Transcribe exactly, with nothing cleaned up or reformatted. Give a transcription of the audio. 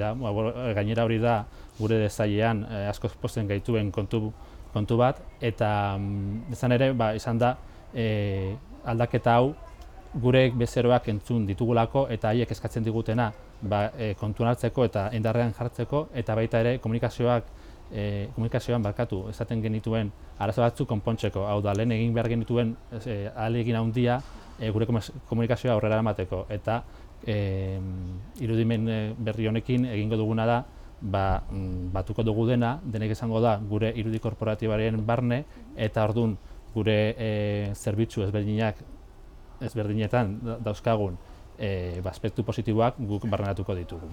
hori da, gainera hori da gure desailean askoz pozten gaituen kontu, kontu bat, eta izan ere, ba, izan da e, aldaketa hau gure bezeroak entzun ditugulako eta haiek eskatzen digutena ba, e, kontuan hartzeko eta indarrean jartzeko, eta baita ere komunikazioak e, komunikazioan barkatu esaten genituen arazo batzuk konpontzeko. Hau da, lehen egin behar genituen e, ahalegin handia e, gure komunikazioa aurrera eramateko, eta e, irudimen berri honekin egingo duguna da ba, batuko dugu dena, denek izango da gure irudi korporatibaren barne, eta orduan gure e, zerbitzu ezberdinak ezberdinetan dauzkagun e, aspektu positiboak guk barneratuko ditugu.